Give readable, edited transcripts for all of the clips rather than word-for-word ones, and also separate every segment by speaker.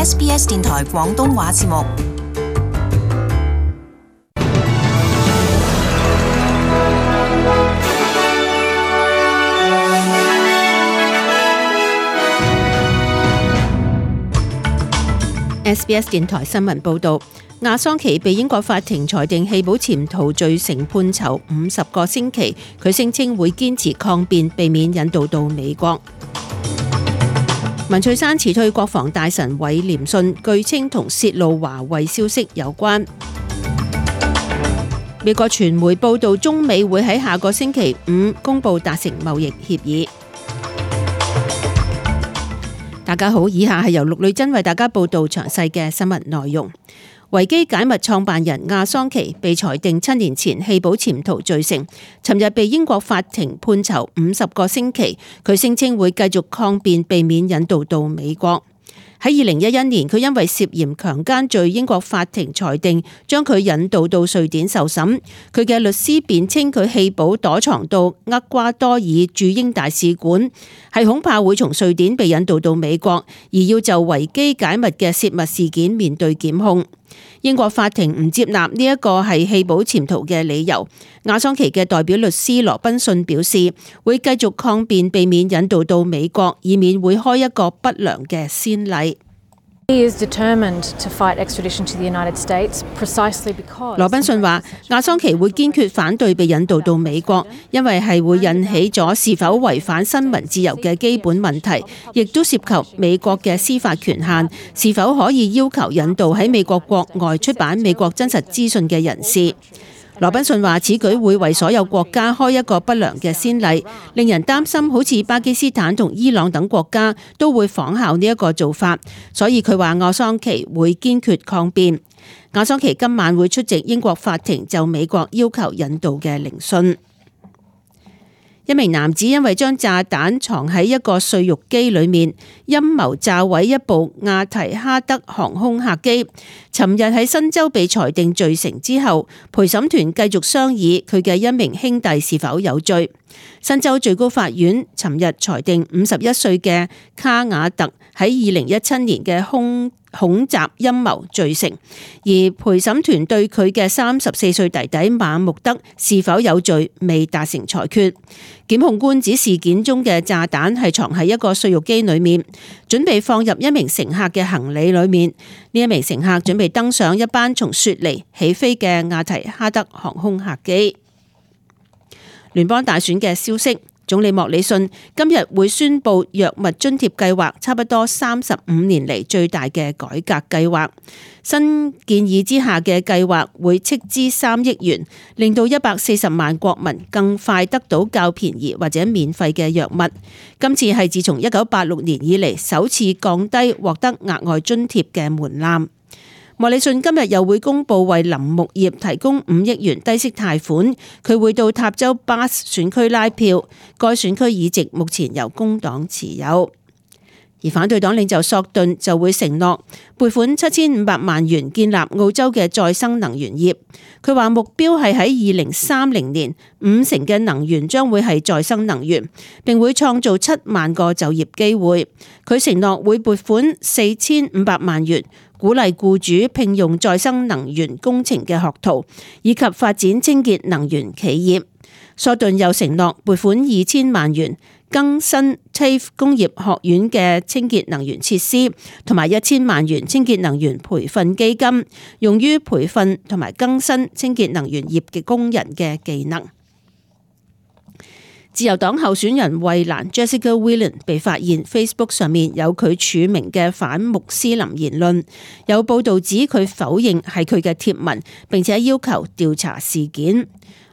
Speaker 1: SBS 電台廣東話節目。
Speaker 2: SBS 電台新聞報導，亞桑奇被英國法庭裁定棄保潛逃罪成，判囚50個星期。佢聲稱會堅持抗辯，避免引渡到美國。文翠珊辭退國防大臣韋廉信，據稱同洩露華為消息有關。美國傳媒報導，中美會喺下個星期5公佈達成貿易協議。大家好，以下係由陸女真為大家報道詳細嘅新聞內容。維基解密創辦人亞桑奇被裁定7年前棄保潛逃罪成，尋日被英國法庭判囚50個星期。佢聲稱會繼續抗辯，避免引渡到美國。喺2011年，佢因為涉嫌強姦罪，英國法庭裁定將佢引渡到瑞典受審。佢嘅律師辯稱佢棄保躲藏到厄瓜多爾駐英大使館，係恐怕會從瑞典被引渡到美國，而要就維基解密嘅洩密事件面對檢控。英國法庭唔接納呢一個係棄保潛逃嘅理由。亞桑奇嘅代表律師羅賓遜表示，會繼續抗辯，避免引渡到美國，以免會開一個不良嘅先例。羅賓遜話，亞桑奇會堅決反對被引渡到美國，因為係會引起咗是否違反新聞自由嘅基本問題，亦都涉及美國嘅司法權限，是否可以要求引渡喺美國國外出版美國真實資訊嘅人士。羅賓遜話，此舉會為所有國家開一個不良嘅先例，令人擔心好似巴基斯坦同伊朗等國家都會仿效呢一個做法，所以佢話亞桑奇會堅決抗辯。亞桑奇今晚會出席英國法庭就美國要求引渡嘅聆訊。一名男子因為將炸彈藏喺一個碎肉機裏面，陰謀炸毀一部亞提哈德航空客機，尋日喺新州被裁定罪成之後，陪審團繼續商議佢嘅一名兄弟是否有罪。新州最高法院尋日裁定51歲嘅卡瓦特喺2017年嘅恐襲陰謀罪成，而陪審團對佢嘅34歲弟弟馬穆德是否有罪未達成裁決。檢控官指事件中嘅炸彈係藏喺一個碎肉機裏面，準備放入一名乘客嘅行李裏面。呢一名乘客準備登上一班從雪梨起飛嘅亞提哈德航空客機。聯邦大選嘅消息，總理莫里遜今日會宣布藥物津貼計劃差不多35年嚟最大嘅改革計劃。新建議之下嘅計劃會斥資3億元，令到140萬國民更快得到較便宜或者免費嘅藥物。今次係自從1986年以嚟首次降低獲得額外津貼嘅門檻。莫里遜今日又會公布為林木業提供5億元低息貸款，佢會到塔州巴斯選區拉票，該選區議席目前由工黨持有。而反對黨領袖索頓就會承諾撥款7500萬元建立澳洲嘅再生能源業。佢話目標係喺2030年50%嘅能源將會係再生能源，並會創造7萬個就業機會。佢承諾會撥款4500萬元，鼓勵僱主聘用再生能源工程嘅學徒，以及發展清潔能源企業。索頓又承諾撥款2000萬元，更新 TAFE 工業學院嘅清潔能源設施，同埋1000萬元清潔能源培訓基金，用於培訓同埋更新清潔能源業嘅工人嘅技能。自由黨候選人惠蘭 Jessica Whelan 被發現 Facebook 上面有佢署名嘅反穆斯林言論，有報道指佢否認係佢嘅貼文，並且要求調查事件。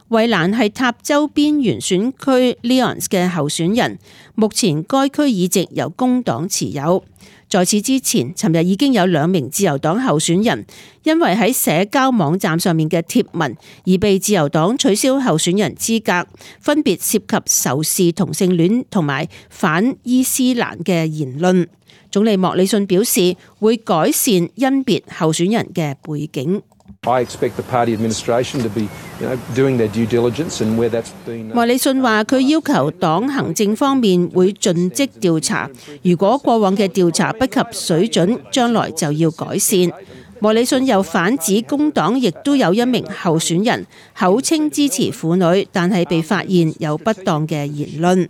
Speaker 2: 惠蘭係塔州邊緣選區 Leons 嘅候選人，目前該區議席由工黨持有。在此之前，尋日已經有2名自由黨候選人因為喺社交網站上面嘅貼文而被自由黨取消候選人資格，分別涉及仇視同性戀同埋反伊斯蘭嘅言論。總理莫里遜表示會改善甄別候選人嘅背景。莫里遜話：佢要求黨行政方面會盡職調查，如果過往嘅調查不及水準，將來就要改善。莫里遜又反指工黨亦都有一名候選人口稱支持婦女，但係被發現有不當嘅言論。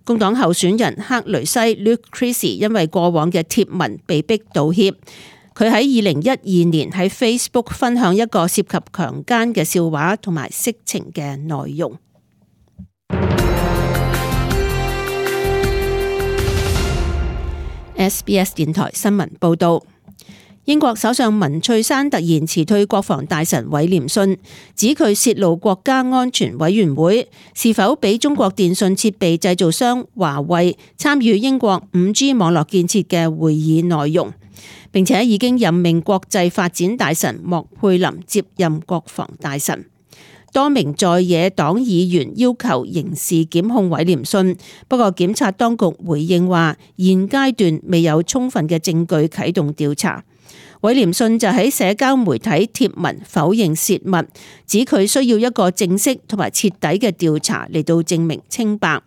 Speaker 2: 工黨候選人克雷西 Luke Creasy 因為過往嘅貼文被逼道歉。佢喺2012年喺 Facebook 分享一個涉及強姦嘅笑話同埋色情嘅內容。SBS 電台新聞報導，英國首相文翠珊突然辭退國防大臣韋廉遜，指佢泄露國家安全委員會是否俾中國電信設備製造商華為參與英國 5G 網絡建設嘅會議內容。並且已經任命國際發展大臣莫佩林接任國防大臣。多名在野黨議員要求刑事檢控韋廉遜，不過檢察當局回應話，現階段未有充分嘅證據啟動調查。韋廉遜就喺社交媒體貼文否認洩密，指佢需要一個正式同埋徹底嘅調查嚟到證明清白。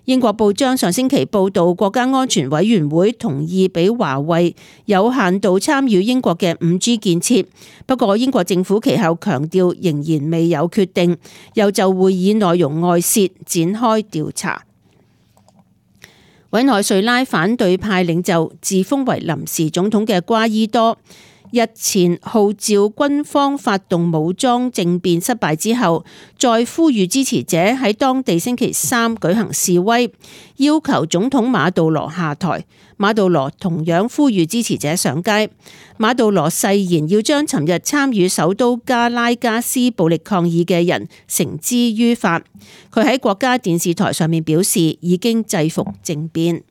Speaker 2: 英國報章上星期報導，國家安全委員會同意俾華為有限度參與英國嘅 5G 建設，不過英國政府其後強調仍然未有決定，又就會議內容外泄展開調查。委內瑞拉反對派領袖自封為臨時總統嘅瓜伊多，日前號召軍方發動武裝政變失敗之後，再呼籲支持者喺當地星期三舉行示威，要求總統馬杜羅下台。馬杜羅同樣呼籲支持者上街。馬杜羅誓言要將尋日參與首都加拉加斯暴力抗議嘅人繩之於法。佢喺國家電視台上面表示，已經制服政變。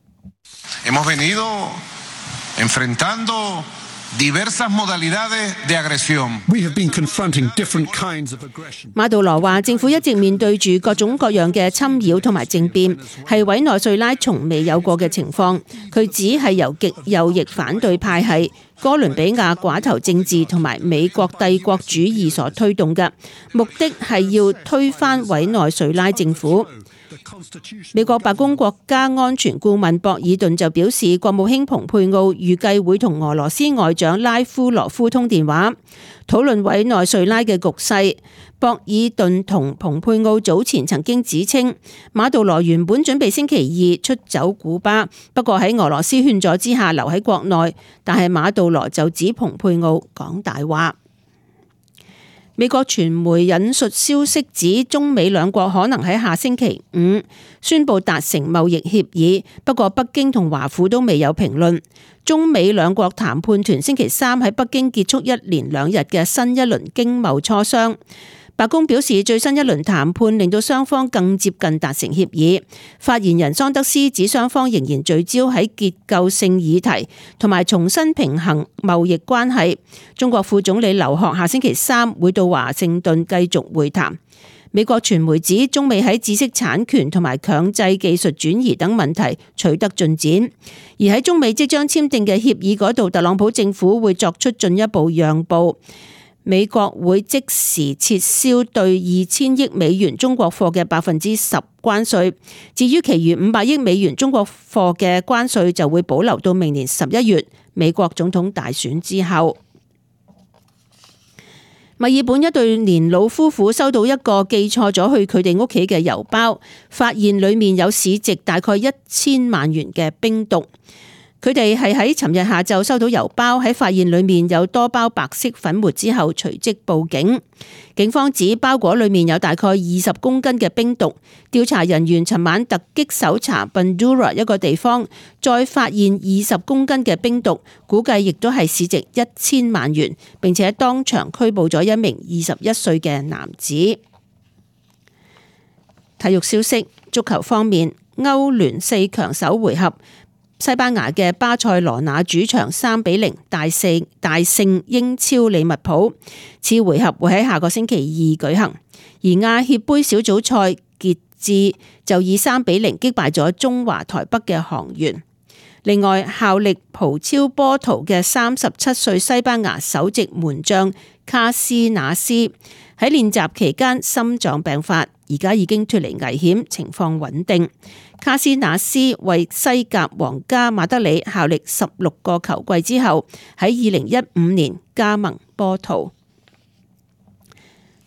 Speaker 2: 馬杜羅話：政府一直面對住各種各樣嘅侵擾同埋政變，係委內瑞拉從未有過嘅情況。佢只係由極右翼反對派系哥倫比亞寡頭政治同埋美國帝國主義所推動嘅，目的係要推翻委內瑞拉政府。美國白宮國家安全顧問博爾頓就表示，國務卿蓬佩奧預計會同俄羅斯外長拉夫羅夫通電話，討論委內瑞拉嘅局勢。博爾頓同蓬佩奧早前曾經指稱，馬杜羅原本準備星期二出走古巴，不過喺俄羅斯勸阻之下留喺國內，但係馬杜羅就指蓬佩奧講大話。美國傳媒引述消息指，中美兩國可能喺下星期五宣布達成貿易協議，不過北京同華府都未有評論。中美兩國談判團星期三喺北京結束一連2日嘅新一輪經貿磋商。白宮表示，最新一輪談判令到雙方更接近達成協議。發言人桑德斯指，雙方仍然聚焦喺結構性議題同埋重新平衡貿易關係。中國副總理劉鶴下星期三會到華盛頓繼續會談。美國傳媒指，中美喺知識產權同埋強制技術轉移等問題取得進展，而喺中美即將簽訂嘅協議嗰度，特朗普政府會作出進一步讓步。美國會即時撤銷對2000億美元中國貨嘅10%關稅，至於其餘500億美元中國貨嘅關稅就會保留到明年11月美國總統大選之後。墨爾本一對年老夫婦收到一個寄錯咗去佢哋屋企嘅郵包，發現裡面有市值大概1000萬元嘅冰毒。佢哋係喺尋日下晝收到郵包，喺發現裡面有多包白色粉末之後，隨即報警。警方指包裹裡面有大概20公斤嘅冰毒。調查人員尋晚突擊搜查 Bundoora 一個地方，再發現20公斤嘅冰毒，估計亦都係市值1000萬元，並且當場拘捕咗一名21歲嘅男子。體育消息，足球方面，歐聯4強首回合，西班牙嘅巴塞羅那主場3-0大勝英超利物浦，次回合會喺下個星期2舉行。而亞協盃小組賽傑志就以3-0擊敗咗中華台北嘅航員。另外，效力葡超波圖嘅37歲西班牙首席門將卡斯納斯喺練習期間心臟病發，而家已經脫離危險，情況穩定。卡斯納斯為西甲皇家馬德里效力16個球季之後，喺2015年加盟波圖。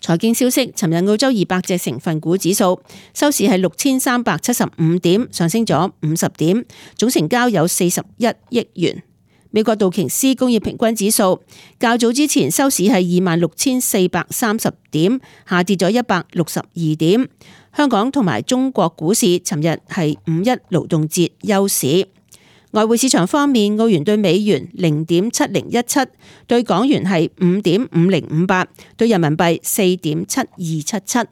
Speaker 2: 財經消息，尋日澳洲200隻成分股指數收市係6375點，上升咗50點，總成交有41億元。美國道瓊斯工業平均指數較早之前收市係26,430點，下跌咗162點。香港同埋中國股市尋日係5·1勞動節休市。外匯市場方面，澳元對美元0.7017，對港元係5.5058，對人民幣4.7277。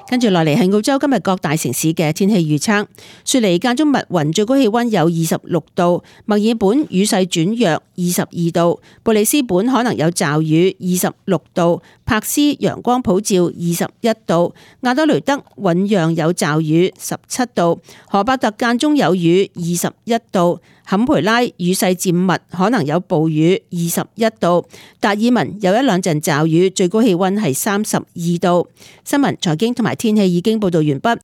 Speaker 2: 跟住落嚟係澳洲今日各大城市嘅天氣預測。雪梨間中密雲，最高氣溫有26度；墨爾本雨勢轉弱，22度；布里斯本可能有驟雨，26度；柏斯陽光普照，21度；亞德雷德醞釀有驟雨，17度；荷伯特間中有雨，21度；坎培拉雨勢漸密，可能有暴雨，21度；達爾文有一兩陣驟雨，最高氣溫係32度。新聞、財經同埋天氣已經報道完畢。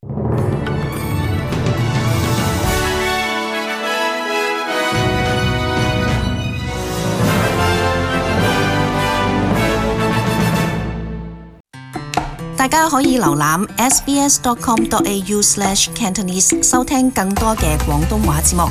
Speaker 1: 大家可以瀏覽 sbs.com.au/cantonese 收聽更多嘅廣東話節目。